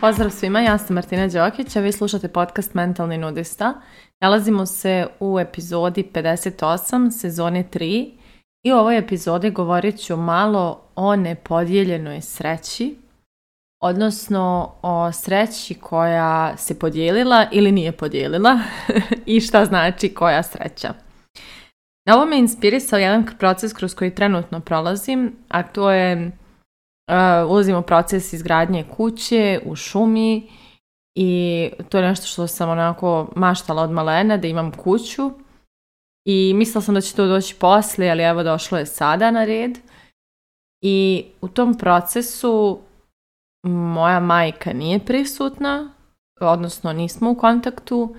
Pozdrav svima, ja sam Martina Đokić, a vi slušate podcast Mentalni nudista. Nalazimo se u epizodi 58, sezone 3 i u ovoj epizodi govorit ću malo o nepodijeljenoj sreći, odnosno o sreći koja se podijelila ili nije podijelila i šta znači koja sreća. Na ovo me inspirisao jedan proces kroz koji trenutno prolazim, a to je ulazim u proces izgradnje kuće u šumi i to je nešto što sam onako maštala od malena, da imam kuću i mislila sam da će to doći poslije, ali evo došlo je sada na red. I u tom procesu moja majka nije prisutna, odnosno nismo u kontaktu,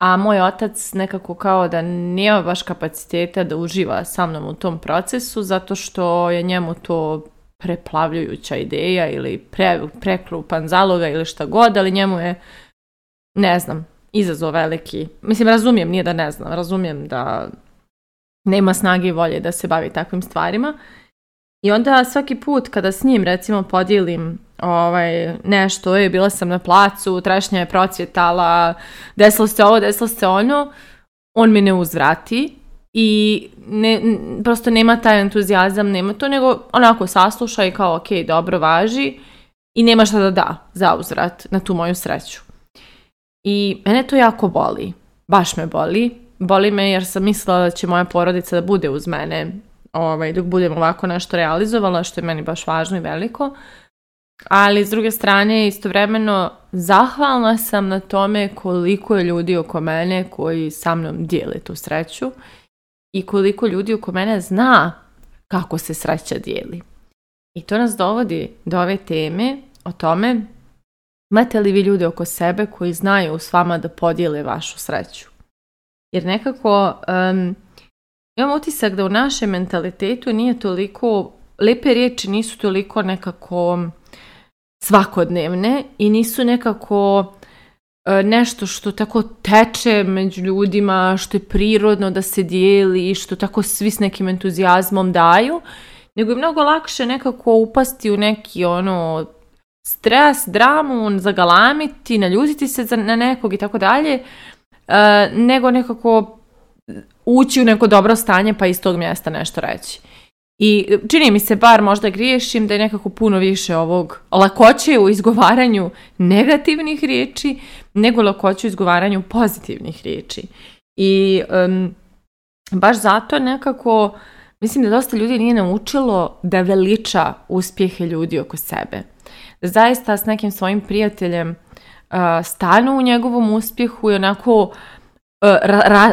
a moj otac nekako kao da nema baš kapaciteta da uživa sa mnom u tom procesu, zato što je njemu to preplavljujuća ideja ili prekrupan zaloga ili šta god, ali njemu je, ne znam, izazov veliki. Mislim, razumijem, nije da ne znam, razumijem da nema snage i volje da se bavi takvim stvarima. I onda svaki put kada s njim, recimo, podijelim nešto, bila sam na placu, trešnja je procvjetala, desilo se ovo, desilo se ono, on mi ne uzvrati. I prosto nema taj entuzijazam, nema to, nego onako sasluša i kao ok, dobro, važi i nema šta da da za uzvrat na tu moju sreću. I mene to jako boli, baš me boli me jer sam mislila da će moja porodica da bude uz mene dok budem ovako nešto realizovala, što je meni baš važno i veliko, ali s druge strane istovremeno zahvalna sam na tome koliko je ljudi oko mene koji sa mnom dijele tu sreću i koliko ljudi oko mene zna kako se sreća dijeli. I to nas dovodi do ove teme o tome, imate li vi ljude oko sebe koji znaju s vama da podijele vašu sreću. Jer nekako imam utisak da u našem mentalitetu nije toliko, lepe riječi nisu toliko nekako svakodnevne i nisu nekako nešto što tako teče među ljudima, što je prirodno da se dijeli, što tako svi s nekim entuzijazmom daju, nego je mnogo lakše nekako upasti u neki stres, dramu, zagalamiti, naljutiti se na nekog i tako dalje, nego nekako ući u neko dobro stanje pa iz tog mjesta nešto reći. I čini mi se, bar možda griješim, da je nekako puno više ovog lakoće u izgovaranju negativnih riječi nego lakoće u izgovaranju pozitivnih riječi. I baš zato nekako mislim da dosta ljudi nije naučilo da veliča uspjehe ljudi oko sebe. Da zaista s nekim svojim prijateljem stanu u njegovom uspjehu i onako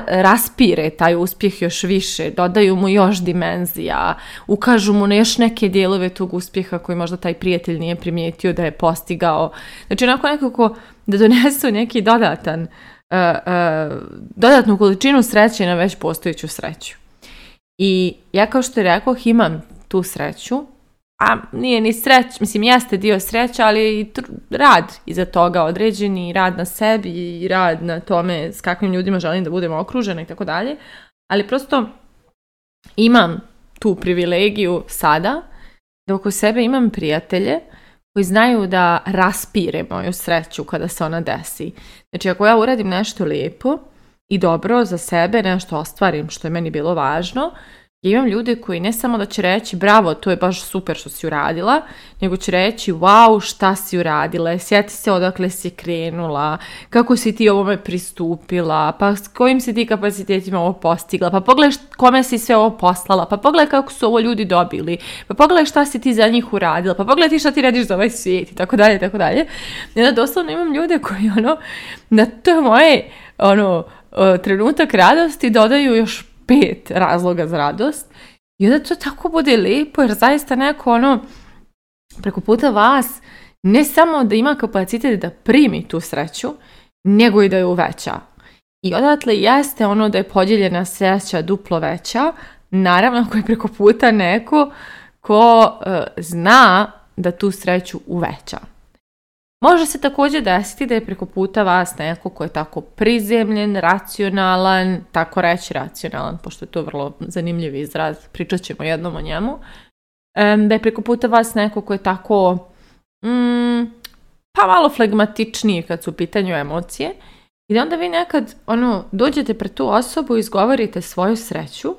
raspire taj uspjeh još više, dodaju mu još dimenzija, ukažu mu na još neke dijelove tog uspjeha koji možda taj prijatelj nije primijetio da je postigao. Znači onako nekako da donesu neki dodatnu količinu sreće na već postojeću sreću. I ja kao što rekoh imam tu sreću, a nije ni sreć, mislim jeste dio sreća, ali i rad iza toga, određeni rad na sebi i rad na tome s kakvim ljudima želim da budem okružena i tako dalje, ali prosto imam tu privilegiju sada da oko sebe imam prijatelje koji znaju da raspire moju sreću kada se ona desi. Znači ako ja uradim nešto lijepo i dobro za sebe, nešto ostvarim što je meni bilo važno, ja imam ljude koji ne samo da će reći bravo, to je baš super što si uradila, nego će reći wow, šta si uradila, sjeti se odakle si krenula, kako si ti ovome pristupila, pa s kojim si ti kapacitetima ovo postigla, pa pogledaj kome si sve ovo poslala, pa pogledaj kako su ovo ljudi dobili, pa pogledaj šta si ti za njih uradila, pa pogledaj ti šta ti radiš za ovaj svijet i tako dalje, tako dalje. I onda doslovno imam ljude koji na to moje trenutak radosti dodaju još 5 razloga za radost i onda to tako bude lijepo jer zaista neko preko puta vas ne samo da ima kapacitet da primi tu sreću, nego i da je uveća. I odatle jeste da je podijeljena sreća duplo veća, naravno ako je preko puta neko ko zna da tu sreću uveća. Može se također desiti da je preko puta vas neko ko je tako prizemljen, racionalan, tako reći racionalan, pošto je to vrlo zanimljiv izraz, pričat ćemo jednom o njemu, da je preko puta vas neko ko je tako pa malo flegmatičniji kad su u pitanju emocije i da onda vi nekad dođete pred tu osobu i izgovorite svoju sreću,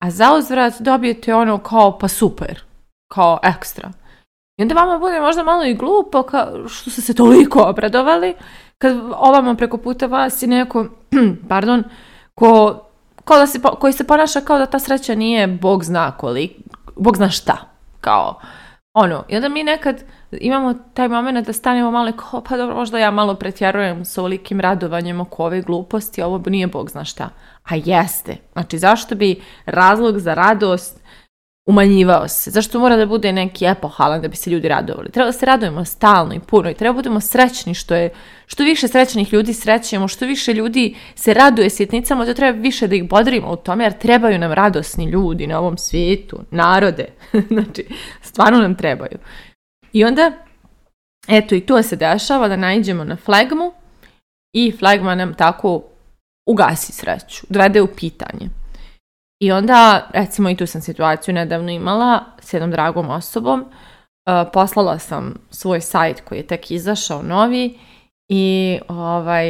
a zauzvrat dobijete kao pa super, kao ekstra. I onda vama bude možda malo i glupo što ste se toliko obradovali kad ovamo preko puta vas je neko, pardon, koji se ponaša kao da ta sreća nije Bog zna šta. Kao, i onda mi nekad imamo taj moment da stanemo malo kao, pa dobro, možda ja malo pretjerujem s ovolikim radovanjem oko ove gluposti, ovo nije Bog zna šta. A jeste. Znači, zašto bi razlog za radost umanjivao se? Zašto mora da bude neki epohalan da bi se ljudi radovali? Treba da se radujemo stalno i puno i treba budemo srećni, što više srećnih ljudi srećemo, što više ljudi se raduje sitnicama, to treba više da ih bodrimo u tome, jer trebaju nam radosni ljudi na ovom svijetu, narode. Znači, stvarno nam trebaju. I onda, eto, i tu se dešava da naiđemo na flegmu i flegma nam tako ugasi sreću, dovede u pitanje. I onda, recimo, i tu sam situaciju nedavno imala s jednom dragom osobom. Poslala sam svoj sajt koji je tek izašao novi i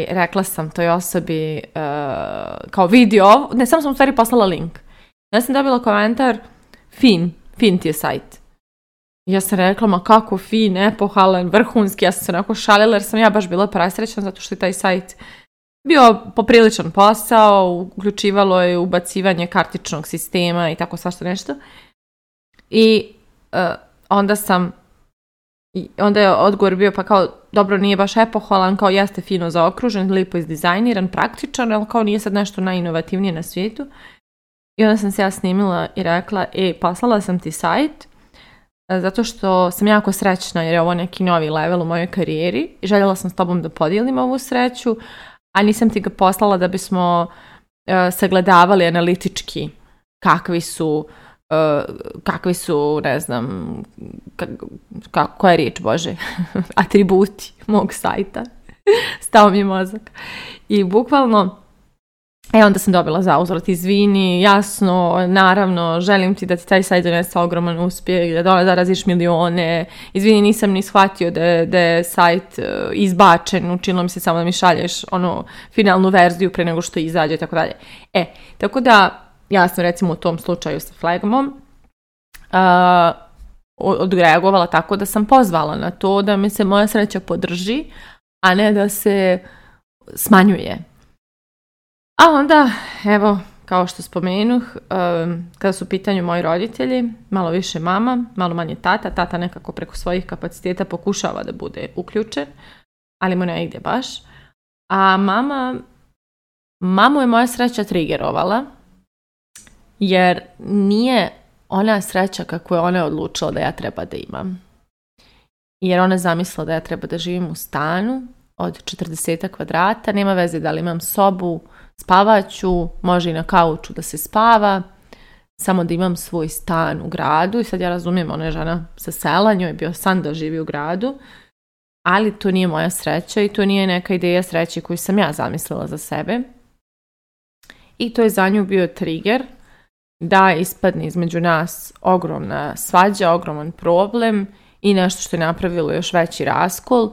rekla sam toj osobi kao video, ne, samo sam u stvari poslala link. Ja sam dobila komentar, fin ti je sajt. Ja sam rekla, ma kako fin, epohalan, vrhunski, ja sam se onako šalila jer sam ja baš bila presrećna zato što je taj sajt bio popriličan posao, uključivalo je ubacivanje kartičnog sistema i tako svašta nešto. I onda je odgovor bio pa kao, dobro, nije baš epohalan, kao jeste fino zaokružen, lipo izdizajniran, praktičan, ali kao nije sad nešto najinovativnije na svijetu. I onda sam se ja snimila i rekla, poslala sam ti sajt zato što sam jako srećna jer je ovo neki novi level u mojoj karijeri i željela sam s tobom da podijelim ovu sreću, a nisam ti ga poslala da bismo sagledavali analitički kakvi su, ne znam, koja je riječ, Bože, atributi mog sajta. Stao mi je mozak. I bukvalno, onda sam dobila zauzvrat, izvini, jasno, naravno, želim ti da ti taj sajt donese ogroman uspjeh, da zaraziš milione, izvini, nisam ni shvatio da je sajt izbačen, učinilo mi se samo da mi šalješ finalnu verziju pre nego što izađe i tako dalje. Tako da, ja sam recimo u tom slučaju sa flegmom odreagovala tako da sam pozvala na to da mi se moja sreća podrži, a ne da se smanjuje. A onda, evo, kao što spomenuh, kada su u pitanju moji roditelji, malo više mama, malo manje tata. Tata nekako preko svojih kapaciteta pokušava da bude uključen, ali mu ne ide baš. A mamu je moja sreća trigerovala, jer nije ona sreća kako je ona odlučila da ja treba da imam. Jer ona zamislila da ja treba da živim u stanu od 40 kvadrata, nema veze da li imam sobu, spavaću, može i na kauču da se spava, samo da imam svoj stan u gradu. I sad ja razumijem, ona je žena sa sela, njoj je bio san da živi u gradu, ali to nije moja sreća i to nije neka ideja sreće koju sam ja zamislila za sebe. I to je za nju bio trigger da ispadne između nas ogromna svađa, ogroman problem i nešto što je napravilo još veći raskol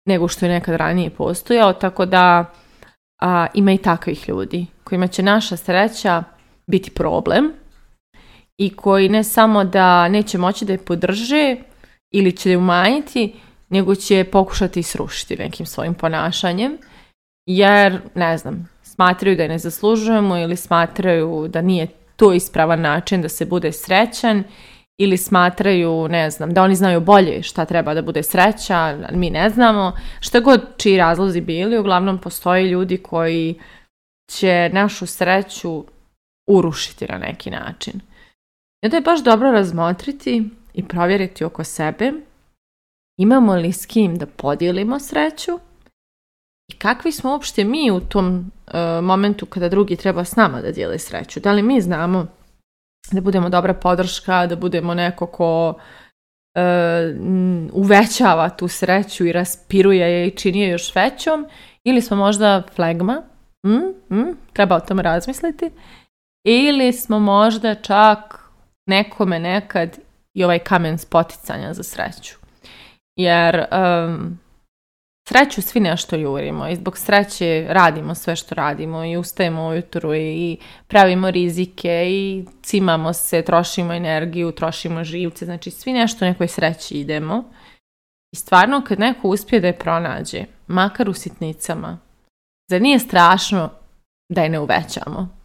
nego što je nekad ranije postojao, tako da ima i takvih ljudi kojima će naša sreća biti problem i koji ne samo da neće moći da je podrže ili će je umanjiti, nego će pokušati srušiti nekim svojim ponašanjem, jer, ne znam, smatraju da je ne zaslužujemo ili smatraju da nije to ispravan način da se bude srećan ili smatraju, ne znam, da oni znaju bolje šta treba da bude sreća, mi ne znamo. Šta god čiji razlozi bili, uglavnom postoje ljudi koji će našu sreću urušiti na neki način. I onda je baš dobro razmotriti i provjeriti oko sebe imamo li s kim da podijelimo sreću i kakvi smo uopšte mi u tom momentu kada drugi treba s nama da dijele sreću. Da li mi znamo da budemo dobra podrška, da budemo neko ko uvećava tu sreću i raspiruje je i čini je još većom, ili smo možda flegma, treba o tom razmisliti, ili smo možda čak nekome nekad i ovaj kamen spoticanja za sreću. Jer sreću svi nešto jurimo i zbog sreće radimo sve što radimo i ustajemo ujutro i pravimo rizike i cimamo se, trošimo energiju, trošimo živce, znači svi nešto nekoj sreći idemo. I stvarno kad neko uspije da je pronađe, makar u sitnicama, zar nije strašno da je ne uvećamo?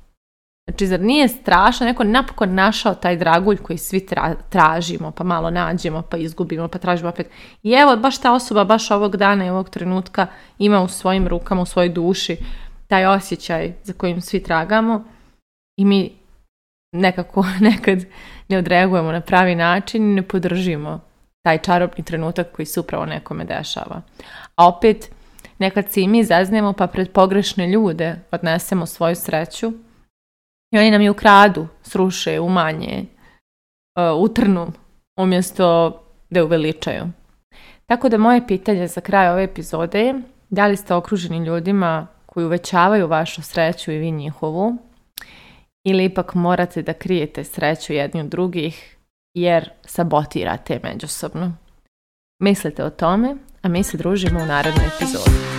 Znači, zar nije strašno, neko napokon našao taj dragulj koji svi tražimo, pa malo nađemo, pa izgubimo, pa tražimo opet. I evo, baš ta osoba, baš ovog dana i ovog trenutka ima u svojim rukama, u svojoj duši taj osjećaj za kojim svi tragamo i mi nekako nekad ne odreagujemo na pravi način i ne podržimo taj čarobni trenutak koji se upravo nekome dešava. A opet, nekad se i mi zeznemo pa pred pogrešne ljude odnesemo svoju sreću i oni nam je ukradu, sruše, umanje, utrnu, umjesto da je uveličaju. Tako da moje pitanje za kraj ove epizode je da li ste okruženi ljudima koji uvećavaju vašu sreću i vi njihovu, ili ipak morate da krijete sreću jedni od drugih jer sabotirate međusobno. Mislite o tome, a mi se družimo u narednoj epizodi.